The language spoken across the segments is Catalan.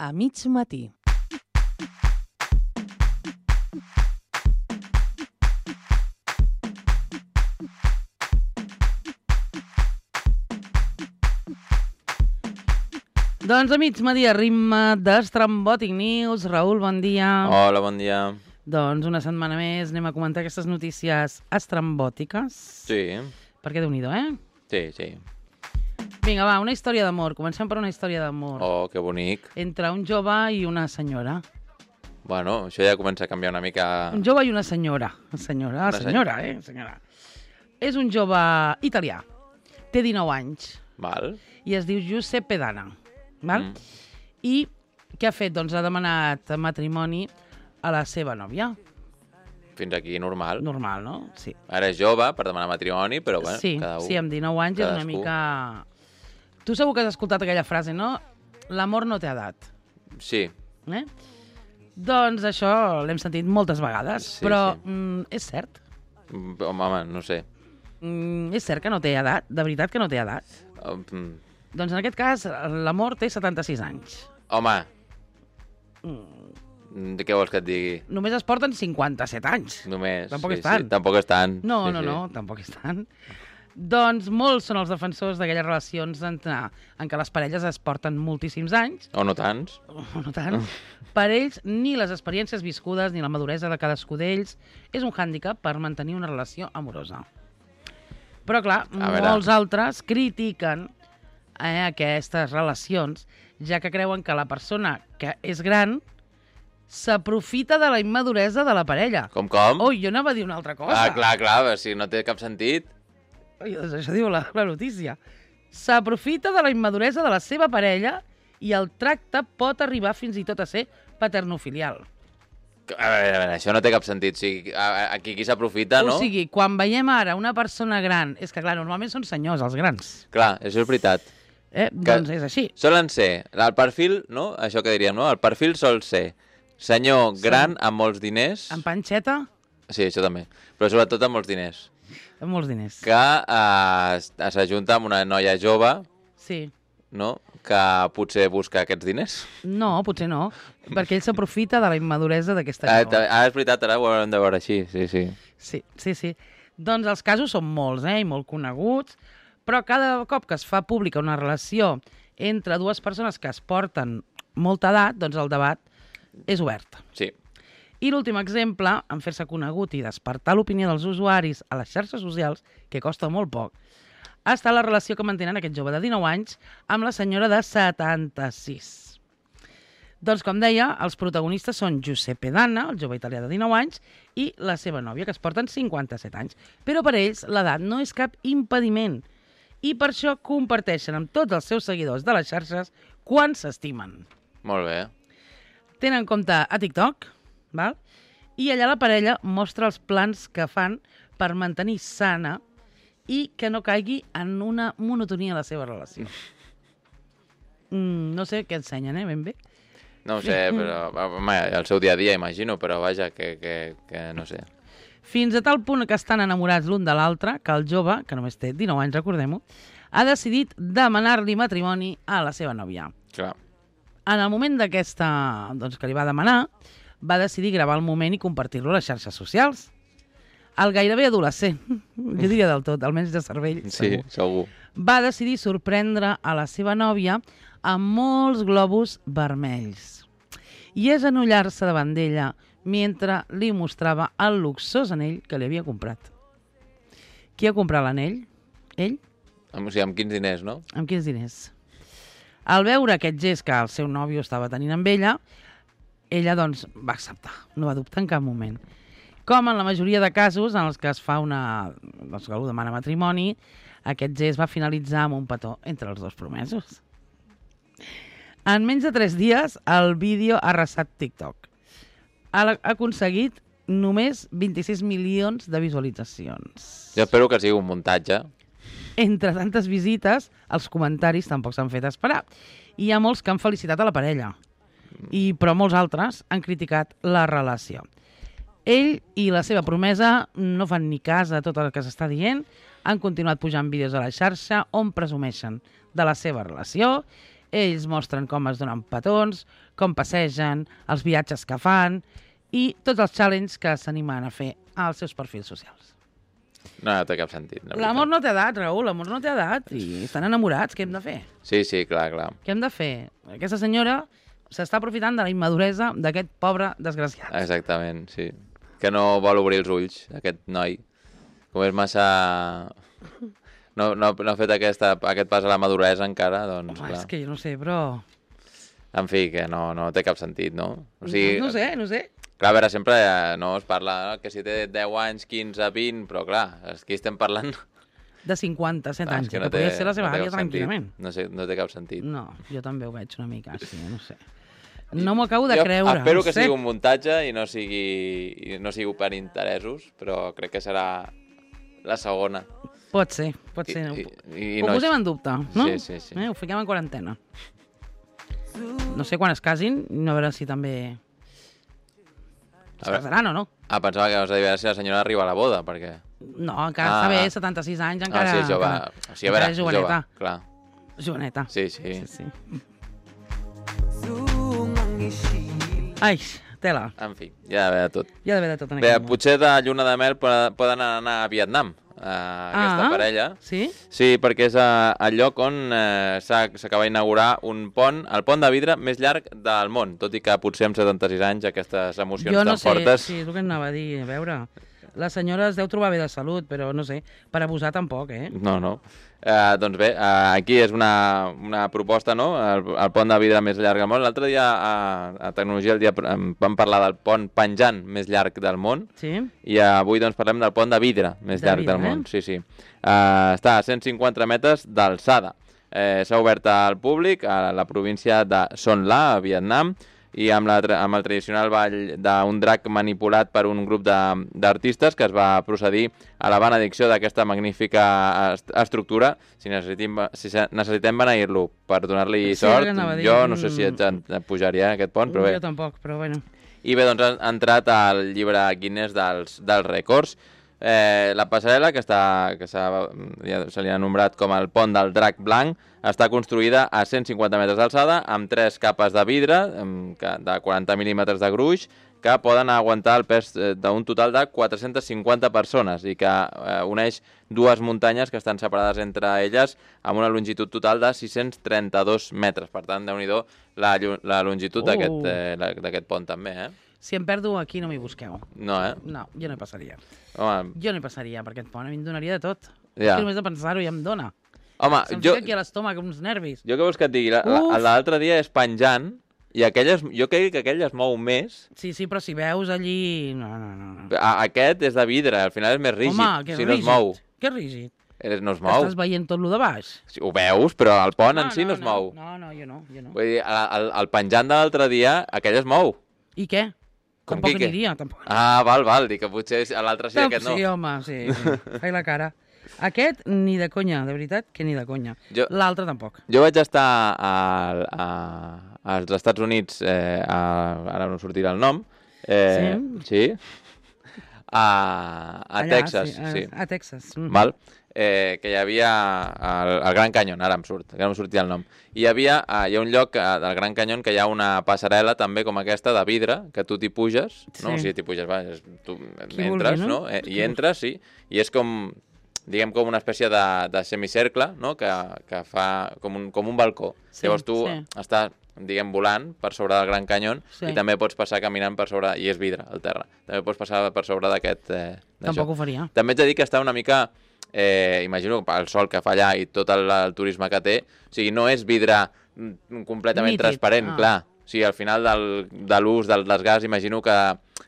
A mig matí. Doncs a mig matí a ritme d'Estrambòtic News. Raül, bon dia. Hola, bon dia. Doncs una setmana més anem a comentar aquestes notícies estrambòtiques. Sí. Perquè Déu-n'hi-do, eh? Sí, sí. Vinga, va, una història d'amor. Comencem per una història d'amor. Oh, que bonic. Entre un jove i una senyora. Bueno, això ja comença a canviar una mica... Un jove i una senyora. Senyora, senyora. És un jove italià. Té 19 anys. Val. I es diu Giuseppe Dana. Val? I què ha fet? Doncs ha demanat matrimoni a la seva nòvia. Fins aquí normal. Normal, no? Sí. Ara és jove per demanar matrimoni, però bueno, Sí, cada un... sí, amb 19 anys és una cadascú. mica... Tu segur que has escoltat aquella frase, no? L'amor no té edat. Sí. Eh? Doncs això l'hem sentit moltes vegades, Sí, però sí. És cert. Home, no sé. És cert que no té edat, de veritat que no té edat. Doncs en aquest cas l'amor té 76 anys. Home, de què vols que et digui? Només es porten 57 anys. Només. Tampoc sí, és tant. Sí, tampoc és tant. No, sí, no, sí. no, tampoc és tant. Doncs molts són els defensors d'aquelles relacions en què les parelles es porten moltíssims anys, O no tants. o no tant. Per ells, ni les experiències viscudes ni la maduresa de cadascú d'ells és un hàndicap per mantenir una relació amorosa. Però, clar, A veure. molts altres critiquen aquestes relacions, ja que creuen que la persona que és gran s'aprofita de la immaduresa de la parella. Com? Ui, jo anava a dir una altra cosa. Ah, clar, si no té cap sentit. Ui, doncs això diu la notícia. S'aprofita de la immaduresa de la seva parella i el tracte pot arribar fins i tot a ser paternofilial. A veure, això no té cap sentit. O sigui, aquí qui s'aprofita, no? O sigui, quan veiem ara una persona gran... És que, clar, normalment són senyors, els grans. Clar, això és veritat. Doncs és així. Solen ser, el perfil, no? Això que diríem, no? El perfil sol ser senyor gran amb molts diners. Amb panxeta, Sí, això també. Però sobretot amb molts diners. amb molts diners. Que s'ajunta amb una noia jove, Sí. no? Que potser busca aquests diners. No, potser no, perquè ell s'aprofita de la immaduresa d'aquesta jove. És veritat, ara ho haurem de veure així, sí. Sí. Doncs els casos són molts, i molt coneguts, però cada cop que es fa pública una relació entre dues persones que es porten molta edat, doncs el debat és obert. Sí. I l'últim exemple, en fer-se conegut i despertar l'opinió dels usuaris a les xarxes socials, que costa molt poc, ha estat la relació que mantenen aquest jove de 19 anys amb la senyora de 76. Doncs, com deia, els protagonistes són Giuseppe Dana, el jove italià de 19 anys, i la seva nòvia, que es porten 57 anys. Però per ells l'edat no és cap impediment i per això comparteixen amb tots els seus seguidors de les xarxes quan s'estimen. Molt bé. Tenen compte a TikTok, val? I allà la parella mostra els plans que fan per mantenir sana i que no caigui en una monotonia a la seva relació. No sé què ensenyen, ben bé. No ho sé, però home, el seu dia a dia, imagino, però vaja, que no sé. Fins a tal punt que estan enamorats l'un de l'altre que el jove, que només té 19 anys, recordem-ho, ha decidit demanar-li matrimoni a la seva nòvia. Clar. En el moment d'aquesta, doncs, que li va demanar, va decidir gravar el moment i compartir-lo a les xarxes socials. El gairebé adolescent, jo diria del tot, almenys de cervell, Sí, segur. va decidir sorprendre a la seva nòvia amb molts globus vermells i és enullar-se davant d'ella mentre li mostrava el luxós anell que li havia comprat. Qui ha comprat l'anell? Ell? O sigui, amb quins diners, no? Amb quins diners? Al veure aquest gest que el seu nòvio estava tenint amb ella, ella doncs va acceptar, no va dubtar en cap moment. Com en la majoria de casos en els que es fa doncs que algú demana matrimoni, aquest gest va finalitzar amb un petó entre els dos promesos. En menys de 3 dies, el vídeo ha arrasat TikTok. Ha aconseguit només 26 milions de visualitzacions. Jo espero que sigui un muntatge. Entre tantes visites, els comentaris tampoc s'han fet esperar. Hi ha molts que han felicitat a la parella, però molts altres han criticat la relació. Ell i la seva promesa no fan ni cas a tot el que s'està dient, han continuat pujant vídeos a la xarxa on presumeixen de la seva relació. Ells mostren com es donen petons, com passegen, els viatges que fan i tots els challenges que s'animen a fer als seus perfils socials. No té cap sentit. L'amor no té edat, Raül, l'amor no té edat i estan enamorats, què hem de fer? Sí, clar. Què hem de fer? Aquesta senyora s'està aprofitant de la immaduresa d'aquest pobre desgraciat. Exactament, sí. Que no vol obrir els ulls, aquest noi. Com és massa... No ha fet aquest pas a la maduresa encara, doncs, clar. És que jo no sé, però... En fi, que no té cap sentit, no? O sigui, no sé. Clar, a veure, sempre no es parla que si té 10 anys, 15, 20, però clar, aquí estem parlant... De 57 anys, que no podria ser la seva àvia tranquil·lament. No té cap sentit. No, jo també ho veig una mica, sí, no sé. No m'ho acabo de creure. Espero que sigui un muntatge i no sigui per interessos, però crec que serà la segona. Pot ser. Ho posem en dubte, no? Sí. Ho fiquem en quarantena. No sé quan es casin, no a veure si també... Es casaran o no? Pensava que vas a dir si la senyora arriba a la boda, perquè... No, encara està bé, 76 anys, encara... sí, jove. O sigui, a veure, joveneta. Jove, clar. Joveneta. Sí. Ai, tela. En fi, hi ha d'haver de tot. Hi ha d'haver de tot en Bé, aquest món. potser de lluna de mel poden anar a Vietnam, aquesta parella. Sí? Sí, perquè és el lloc on s'acaba d'inaugurar un pont, el pont de vidre més llarg del món, tot i que potser amb 76 anys aquestes emocions tan fortes... Sí, és el que anava a dir, a veure... La senyora es deu trobar bé de salut, però no sé, per abusar tampoc, eh? No. Doncs bé, aquí és una proposta, no? El pont de vidre més llarg del món. L'altre dia, a Tecnologia al dia, vam parlar del pont penjant més llarg del món. Sí. I avui doncs parlem del pont de vidre més llarg del món. Sí. Està a 150 metres d'alçada. S'ha obert al públic a la província de Son La, a Vietnam, i amb el tradicional ball d'un drac manipulat per un grup d'artistes que es va procedir a la benedicció d'aquesta magnífica estructura. Si necessitem beneir-lo per donar-li sort, jo no sé si et pujaria aquest pont, però bé. Jo tampoc, però bueno. I bé, doncs ha entrat al llibre Guinness dels rècords. La passarel·la, que se li ha nombrat com el pont del drac blanc, està construïda a 150 metres d'alçada amb 3 capes de vidre de 40 mil·límetres de gruix que poden aguantar el pes d'un total de 450 persones i que uneix dues muntanyes que estan separades entre elles amb una longitud total de 632 metres. Per tant, déu-n'hi-do la longitud d'aquest pont també, Si em perdo aquí no m'hi busqueu. No, No, jo no hi passaria. Home, Jo no hi passaria per aquest pont, a mi em donaria de tot. Ja. És que només de pensar-ho ja em dona. home, Se'm fica aquí a l'estómac uns nervis. jo què vols que et digui? L'altre dia és penjant i jo crec que aquell es mou més. Sí, però si veus allí... No. Aquest és de vidre, al final és més rígid. Home, que si rígid. no es mou. Que rígid. No es mou. Estàs veient tot lo de baix? Sí, ho veus, però el pont en si no es mou. No, jo no. Vull dir, el penjant de l'altre dia, aquell es mou. I què? Com Tampoc que què? aniria, tampoc. Val, dic que potser l'altre sí, aquest no. Sí, home, sí. Faig la cara. Aquest, ni de conya, de veritat, que ni de conya. L'altre tampoc. Jo vaig estar als Estats Units, ara no sortirà el nom. Sí? A Texas, sí. A Texas. Val? Que hi havia el Gran Canyon, ara em sortia el nom. Hi ha un lloc del Gran Canyon que hi ha una passarel·la també com aquesta de vidre, que tu t'hi puges, no? O sigui, t'hi puges, tu entres, no? I entres, sí, i és com, diguem, com una espècie de semicercle, no? Que fa com un balcó. Llavors tu estàs, diguem, volant per sobre del Gran Canyon i també pots passar caminant per sobre, i és vidre al terra, també pots passar per sobre d'aquest... Tampoc ho faria. També ets de dir que està una mica... imagino el sol que fa allà i tot el turisme que té, o sigui, no és vidre completament transparent, clar. O sigui, al final de l'ús del desgast, imagino que...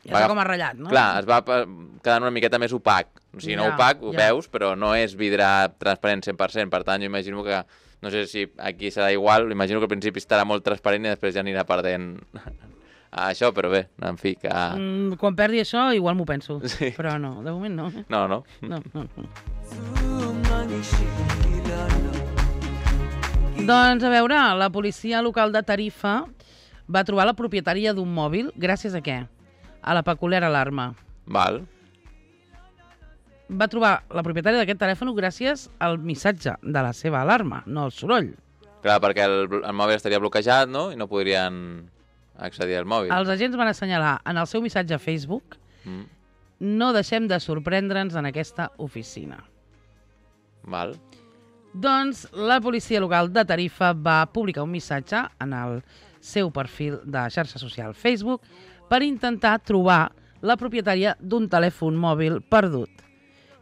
Ja està com arrellat, no? Clar, es va quedant una miqueta més opac. O sigui, no opac, ho veus, però no és vidre transparent 100%. Per tant, jo imagino que, no sé si aquí serà igual, imagino que al principi estarà molt transparent i després ja anirà perdent això, però bé, en fi, que... Quan perdi això, igual m'ho penso. Sí. Però no, de moment no. No. Doncs, a veure, la policia local de Tarifa va trobar la propietària d'un mòbil gràcies a què? A la peculiar alarma. Val. Va trobar la propietària d'aquest telèfon gràcies al missatge de la seva alarma, no al soroll. Clar, perquè el mòbil estaria bloquejat, no? I no podrien... accedir al mòbil. Els agents van assenyalar en el seu missatge a Facebook no deixem de sorprendre'ns en aquesta oficina. Val. Doncs la policia local de Tarifa va publicar un missatge en el seu perfil de xarxa social Facebook per intentar trobar la propietària d'un telèfon mòbil perdut.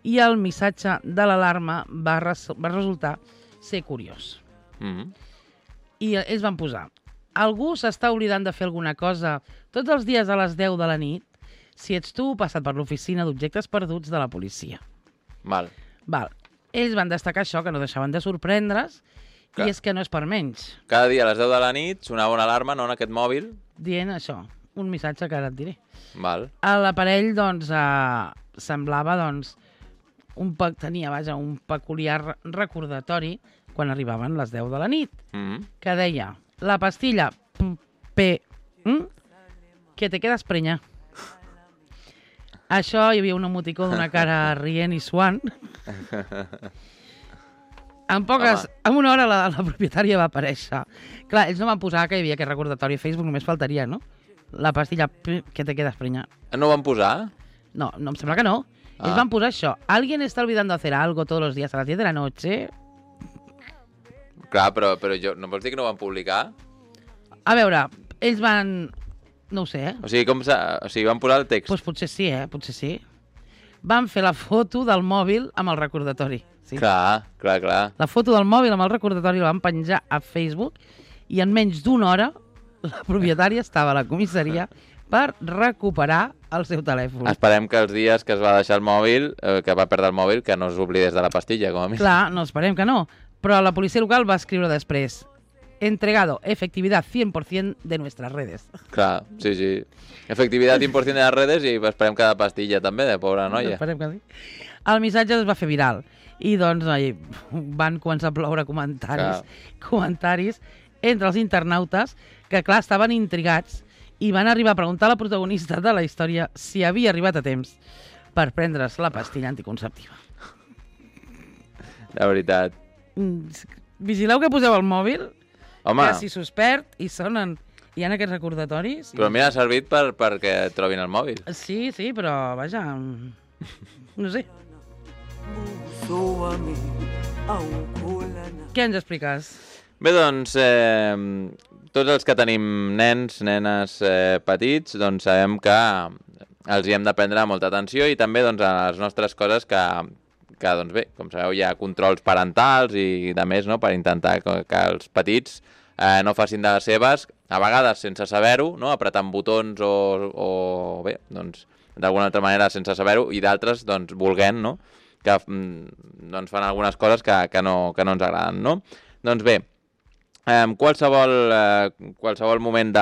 I el missatge de l'alarma va resultar ser curiós. I ells van posar: algú s'està oblidant de fer alguna cosa tots els dies a les 10 de la nit? Si ets tu, passa't per l'oficina d'objectes perduts de la policia. Val. Ells van destacar això, que no deixaven de sorprendre's, i és que no és per menys. Cada dia a les 10 de la nit sonava una alarma, no, en aquest mòbil? Dient això, un missatge que ara et diré. Val. A l'aparell, doncs, semblava, doncs, tenia un peculiar recordatori quan arribaven les 10 de la nit, que deia: la pastilla que te quedas preña. Això, hi havia un emoticó d'una cara rient i suant. En una hora la propietària va aparèixer. Clar, ells no van posar que hi havia aquest recordatori a Facebook, només faltaria, no? La pastilla que te quedas preña. No ho van posar? No, em sembla que no. Ells van posar això. ¿Alguien está olvidando hacer algo todos los días a las 10 de la noche? Clar, però no vols dir que no ho van publicar? A veure, ells van... No ho sé, eh? O sigui, van posar el text. Doncs potser sí, potser sí. Van fer la foto del mòbil amb el recordatori. Sí. Clar. La foto del mòbil amb el recordatori la van penjar a Facebook i en menys d'una hora la propietària estava a la comissaria per recuperar el seu telèfon. Esperem que els dies que es va deixar el mòbil, que va perdre el mòbil, que no s'oblidés de la pastilla, com a mínim. Clar, no, esperem que no. Però la policia local va escriure després: entregado, efectividad 100% de nuestras redes. Clar, sí. Efectividad 100% de les redes i esperem que de pastilla també, de pobra noia. Esperem que sí. El missatge es va fer viral i doncs van començar a ploure comentaris entre els internautes que, clar, estaven intrigats i van arribar a preguntar a la protagonista de la història si havia arribat a temps per prendre's la pastilla anticonceptiva. De veritat. Vigileu que poseu el mòbil. Home. Que si s'us perd i sonen... Hi ha aquests recordatoris... Però mira, ha servit perquè trobin el mòbil. Sí, però, vaja... No sé. Què ens expliques? Bé, doncs, tots els que tenim nens, nenes petits, doncs sabem que els hi hem de prendre molta atenció i també doncs, a les nostres coses que doncs bé, com sabeu, hi ha controls parentals i de més, no?, per intentar que els petits no facin de les seves, a vegades sense saber-ho, no?, apretant botons o bé, doncs, d'alguna altra manera sense saber-ho, i d'altres, doncs, volent, no?, que doncs, fan algunes coses que no ens agraden, no? Doncs bé, qualsevol moment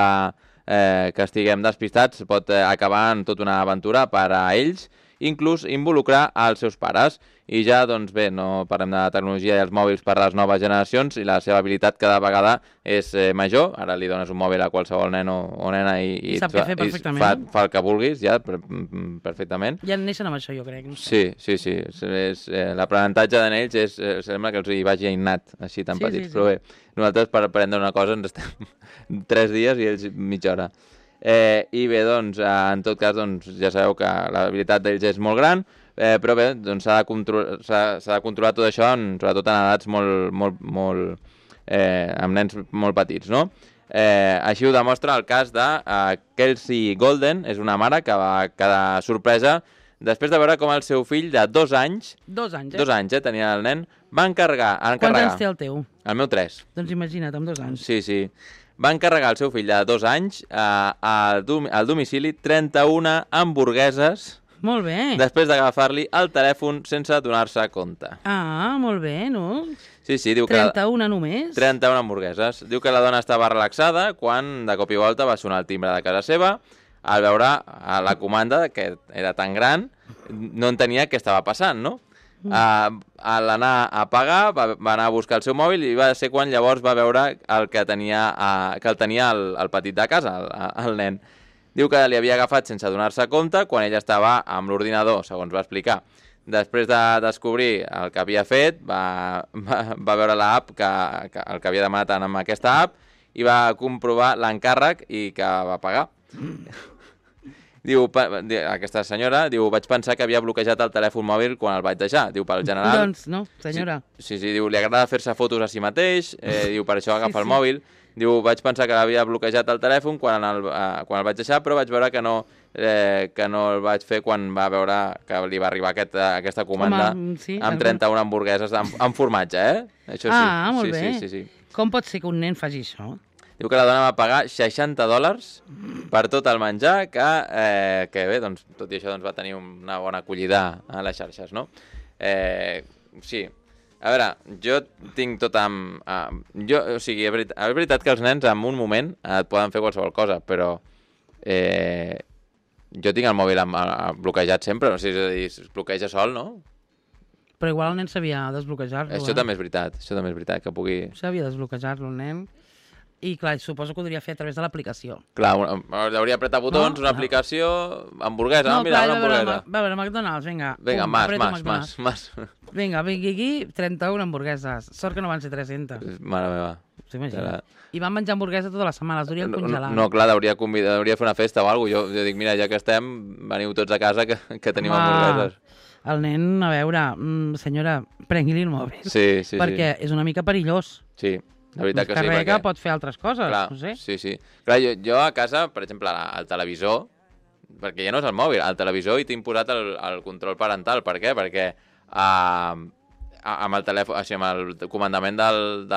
que estiguem despistats pot acabar en tota una aventura per a ells, inclús involucrar els seus pares. I ja, doncs bé, no parlem de la tecnologia i els mòbils per a les noves generacions i la seva habilitat cada vegada és major. Ara li dones un mòbil a qualsevol nen o nena i sap què fer perfectament. Fa el que vulguis, ja, perfectament. Ja neixen amb això, jo crec. No sé. Sí. L'aprenentatge de ells sembla que els hi vagi innat, així tan petits. Però bé, nosaltres per aprendre una cosa ens estem 3 dies i ells mitja hora. I bé, doncs, en tot cas, doncs, ja sabeu que l'habilitat d'ells és molt gran, però bé, doncs s'ha de controlar tot això, sobretot en edats amb nens molt petits, no? Així ho demostra el cas de Kelsey Golden, és una mare que va quedar sorpresa després de veure com el seu fill de 2 anys... 2 anys, tenia el nen, va encarregar... Quants anys té el teu? El meu 3. Doncs imagina't, amb 2 anys. Sí. Va encarregar al seu fill de 2 anys al domicili 31 hamburgueses. Molt bé. Després d'agafar-li el telèfon sense donar-se compte. Ah, molt bé, no? Sí, diu que... 31 només? 31 hamburgueses. Diu que la dona estava relaxada quan de cop i volta va sonar el timbre de casa seva. Al veure la comanda, que era tan gran, no entenia què estava passant, no? A l'anar a pagar, va anar a buscar el seu mòbil i va ser quan llavors va veure que el tenia el petit de casa, el nen. Diu que li havia agafat sense donar-se compte quan ell estava amb l'ordinador, segons va explicar. Després de descobrir el que havia fet, va veure l'app, el que havia demanat amb aquesta app, i va comprovar l'encàrrec i que va pagar. Diu, aquesta senyora, diu, vaig pensar que havia bloquejat el telèfon mòbil quan el vaig deixar. Diu, pel general... Doncs no, senyora. Sí, diu, li agrada fer-se fotos a si mateix, diu, per això agafa el mòbil. Diu, vaig pensar que havia bloquejat el telèfon quan el vaig deixar, però vaig veure que no el vaig fer quan va veure que li va arribar aquesta comanda amb 31 hamburgueses amb formatge, Això sí. Ah, molt bé. Sí. Com pot ser que un nen faci això? Diu que la dona va pagar $60 per tot el menjar, que bé, doncs, tot i això doncs, va tenir una bona acollida a les xarxes, no? Sí. A veure, jo tinc tot amb... o sigui, és veritat que els nens en un moment et poden fer qualsevol cosa, però jo tinc el mòbil bloquejat sempre, o sigui, és a dir, es bloqueja sol, no? Però igual el nen sabia desbloquejar-lo. Això també és veritat, que pugui... Sabia desbloquejar-lo el nen. I clar, suposo que ho podria fer a través de l'aplicació. Clar, hauria apretar botons, una aplicació, hamburguesa, mira, una hamburguesa. Va a veure, McDonald's, vinga. Vinga, más. Vinga, vingui aquí, 31 hamburgueses. Sort que no van ser 300. Mare meva. S'imagina. I van menjar hamburguesa tota la setmana, les durien congelant. No, clar, hauria fer una festa o alguna cosa. Jo dic, mira, ja que estem, veniu tots a casa que tenim hamburgueses. El nen, a veure, senyora, prengui-li el mòbil. Sí. Perquè és una mica perillós. Sí. La veritat que sí, perquè... pot fer altres coses, clar, no sé. Sí. Clar, jo a casa, per exemple, al televisor, perquè ja no és el mòbil, al televisor hi tinc posat el control parental. Per què? Perquè amb el telèfon, així, amb el comandament del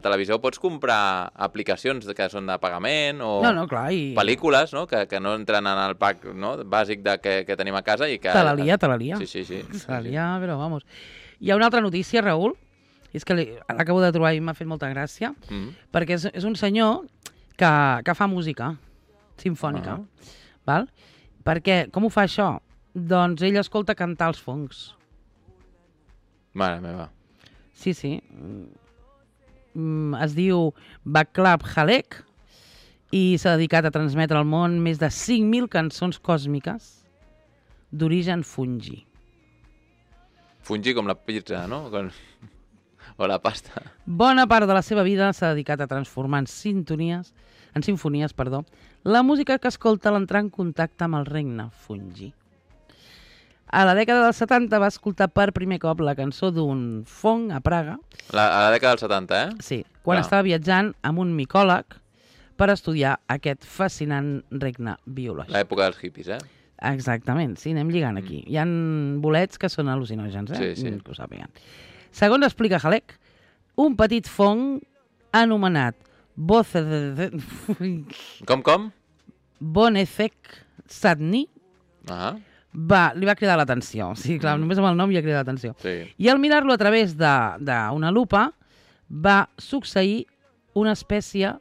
televisor pots comprar aplicacions que són de pagament o clar, pel·lícules, no? Que no entren en el pack, no? Bàsic que tenim a casa i que... Te la lia. Sí. Te la lia, però vamos. Hi ha una altra notícia, Raül, és que l'acabo de trobar i m'ha fet molta gràcia, perquè és un senyor que fa música simfònica. Val? Perquè, com ho fa això? Doncs ell escolta cantar els fongs. Mare meva. Sí. Es diu Václav Halek i s'ha dedicat a transmetre al món més de 5.000 cançons còsmiques d'origen fungi. Fungi com la pizza, no? O la pasta. Bona part de la seva vida s'ha dedicat a transformar en simfonies, la música que escolta a l'entrar en contacte amb el regne fungi. A la dècada dels 70 va escoltar per primer cop la cançó d'un fong a Praga. A la dècada dels 70, Sí, quan estava viatjant amb un micòleg per estudiar aquest fascinant regne biològic. L'època dels hippies, Exactament, sí, anem lligant aquí. Hi ha bolets que són al·lucinògens, Sí. Que ho sàpiguen. Segons explica Halek, un petit fong anomenat Com? Bonecek Sadni li va cridar l'atenció. Sí, clar, només amb el nom ja crida l'atenció. Sí. I al mirar-lo a través d'una lupa va succeir una espècie...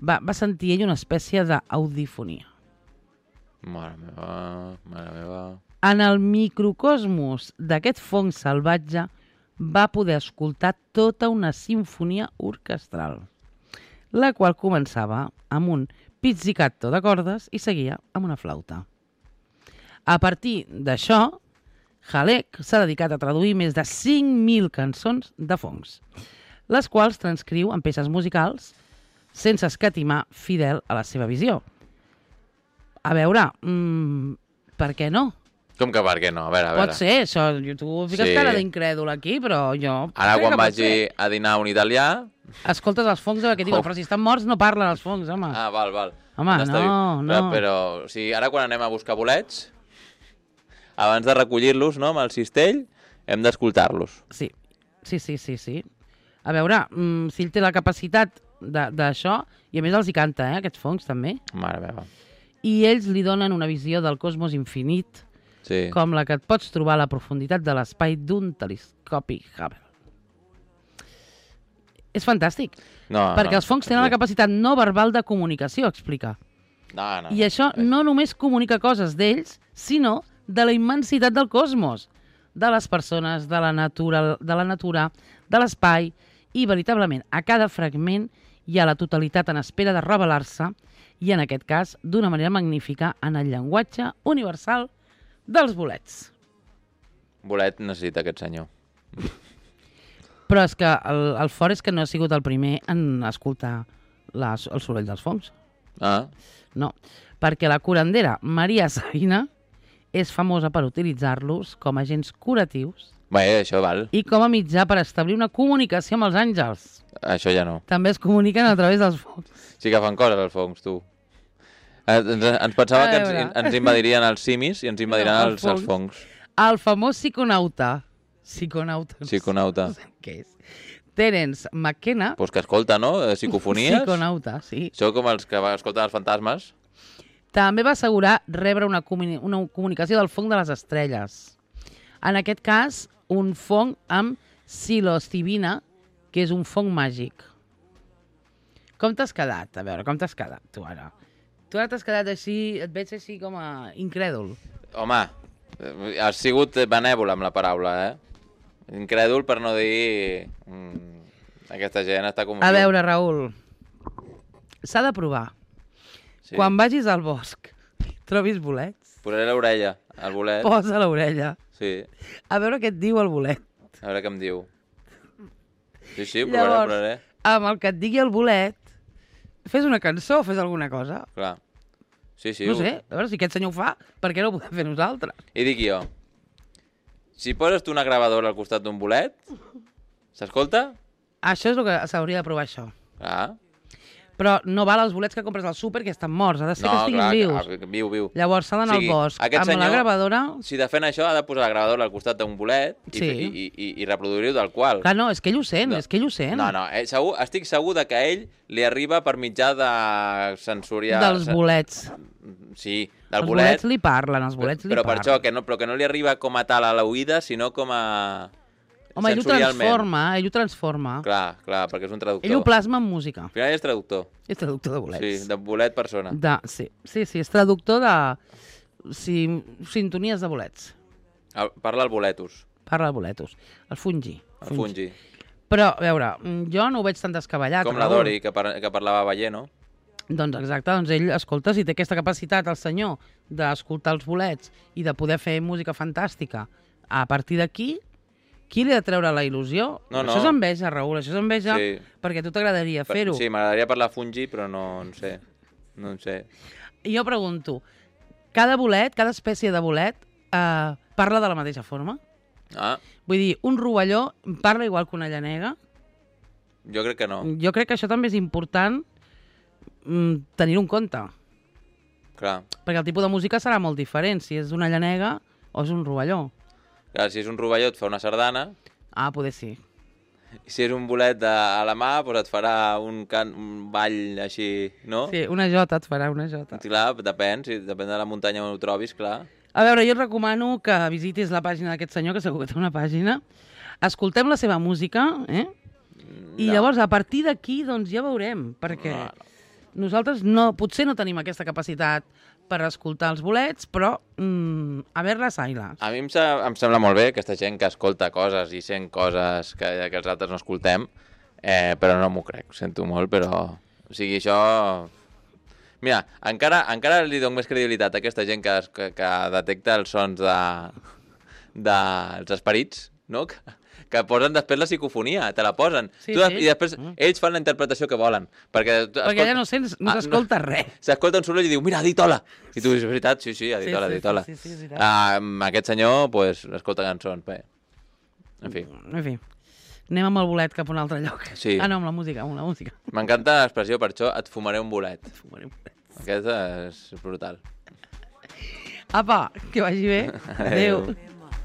Va sentir ell una espècie d'audifonia. Mare meva. En el microcosmos d'aquest fong salvatge va poder escoltar tota una simfonia orquestral, la qual començava amb un pizzicato de cordes i seguia amb una flauta. A partir d'això, Halek s'ha dedicat a traduir més de 5.000 cançons de fongs, les quals transcriu en peces musicals sense escatimar, fidel a la seva visió. A veure, per què no? Com que per què no? A veure. Pot ser, això. Tu fiques cara d'incrèdul aquí, però jo... Ara quan vagi a dinar un italià... Escoltes els fongs que diuen, però si estan morts no parlen els fongs, home. Ah, val. Home, no. Però, o sigui, ara quan anem a buscar bolets, abans de recollir-los, no, amb el cistell, hem d'escoltar-los. Sí. A veure, si ell té la capacitat d'això, i a més els hi canta, aquests fongs, també. Mare meva. I ells li donen una visió del cosmos infinit, com la que et pots trobar a la profunditat de l'espai d'un telescopi Hubble. És fantàstic, perquè els fongs tenen la capacitat no verbal de comunicació, explica. I això no només comunica coses d'ells, sinó de la immensitat del cosmos, de les persones, de la natura, de l'espai, i veritablement a cada fragment hi ha la totalitat en espera de revelar-se, i en aquest cas d'una manera magnífica en el llenguatge universal dels bolets. Bolet necessita aquest senyor. Però és que el fort és que no ha sigut el primer en escoltar el soroll dels fongs. Ah, No, perquè la curandera Maria Sabina és famosa per utilitzar-los com a agents curatius bé, això val. i com a mitjà per establir una comunicació amb els àngels. Això ja no. També es comuniquen a través dels fongs. Sí que fan coses els fongs, tu. Ens pensava que ens invadirien els simis i ens invadiran els fongs. El famós psiconauta. Psiconauta. Psiconauta. No sé què és. Terence McKenna. Pues que escolta, no? Psicofonies. Psiconauta, sí. Això com els que escolten els fantasmes. També va assegurar rebre una comunicació del fong de les estrelles. En aquest cas, un fong amb psilocibina, que és un fong màgic. Com t'has quedat? A veure, com t'has quedat, tu ara? Tu ara t'has quedat així, et veig així com a incrèdul. Home, has sigut benèvol amb la paraula, Incrèdul per no dir... aquesta gent està com... A veure, Raül, s'ha de provar. Sí. Quan vagis al bosc, trobis bolets... Posaré l'orella, al bolet. Posa l'orella. Sí. A veure què et diu el bolet. A veure què em diu. Sí, ho provaré, Llavors, ho provaré. Amb el que et digui el bolet, fes una cançó, fes alguna cosa. Clar. Sí. No sé, a veure si aquest senyor ho fa, per què no ho podem fer nosaltres? I dic jo, si poses tu una gravadora al costat d'un bolet, s'escolta? Això és el que s'hauria de provar, això. Clar. Però no val els bolets que compres al súper, que estan morts. Ha de ser que estiguin vius. Viu. Llavors s'ha d'anar al bosc. Amb senyor, la gravadora... Si de fent això, ha de posar la gravadora al costat d'un bolet i reproduir-ho del qual. Clar, no, és que ell ho sent, és que ell ho sent. No, estic segur de que a ell li arriba per mitjà de sensorial... Dels bolets. Sí, del bolet. Els bolets li parlen, els bolets li parlen. Però per això, que no li arriba com a tal a l'oïda, sinó com a... Home, ell ho transforma. Clar, perquè és un traductor. Ell ho plasma en música. Al final és traductor. És traductor de bolets. Sí, de bolet persona. Sí, és traductor de sintonies de bolets. Parla el boletus. Parla el boletus. El fungi. El fungi. Però, a veure, jo no ho veig tan descabellat. Com la Dori, que parlava veient, no? Doncs exacte, doncs ell, escolta, si té aquesta capacitat, el senyor, d'escoltar els bolets i de poder fer música fantàstica, a partir d'aquí, qui li ha de treure la il·lusió? No. Això és enveja, Raül, això és enveja, sí. Perquè a tu t'agradaria fer-ho. Sí, m'agradaria parlar fungi, però no en sé. I jo pregunto, cada bolet, cada espècie de bolet, parla de la mateixa forma? Ah. Vull dir, un rovelló parla igual que una llanega? Jo crec que no. Jo crec que això també és important tenir-ho en compte. Clar. Perquè el tipus de música serà molt diferent, si és una llanega o és un rovelló. Clar, si és un rovelló et fa una sardana. Ah, poder sí. I si és un bolet a la mà, doncs et farà un ball així, no? Sí, una jota et farà, una jota. Clar, depèn de la muntanya on ho trobis, clar. A veure, jo et recomano que visitis la pàgina d'aquest senyor, que segur que té una pàgina. Escoltem la seva música, I llavors, a partir d'aquí, doncs ja veurem, perquè nosaltres potser no tenim aquesta capacitat per escoltar els bolets, però a veure les ailes. A mi em sembla molt bé aquesta gent que escolta coses i sent coses que els altres no escoltem, però no m'ho crec, ho sento molt, però... O sigui, això... Mira, encara li dono més credibilitat a aquesta gent que detecta els sons dels esperits, no? Que posen després la psicofonia, te la posen. Sí. I després ells fan la interpretació que volen. Perquè allà no s'escolta res. S'escolta un soroll i diu, mira, ha dit hola. I tu dius, és veritat? Sí, ha dit hola, ha dit hola. Sí, Aquest senyor, pues, escolta cançons. Bé. En fi. Anem amb el bolet cap a un altre lloc. Sí. No, amb la música, M'encanta l'expressió, per això et fumaré un bolet. Aquest és brutal. Apa, que vagi bé. Adéu.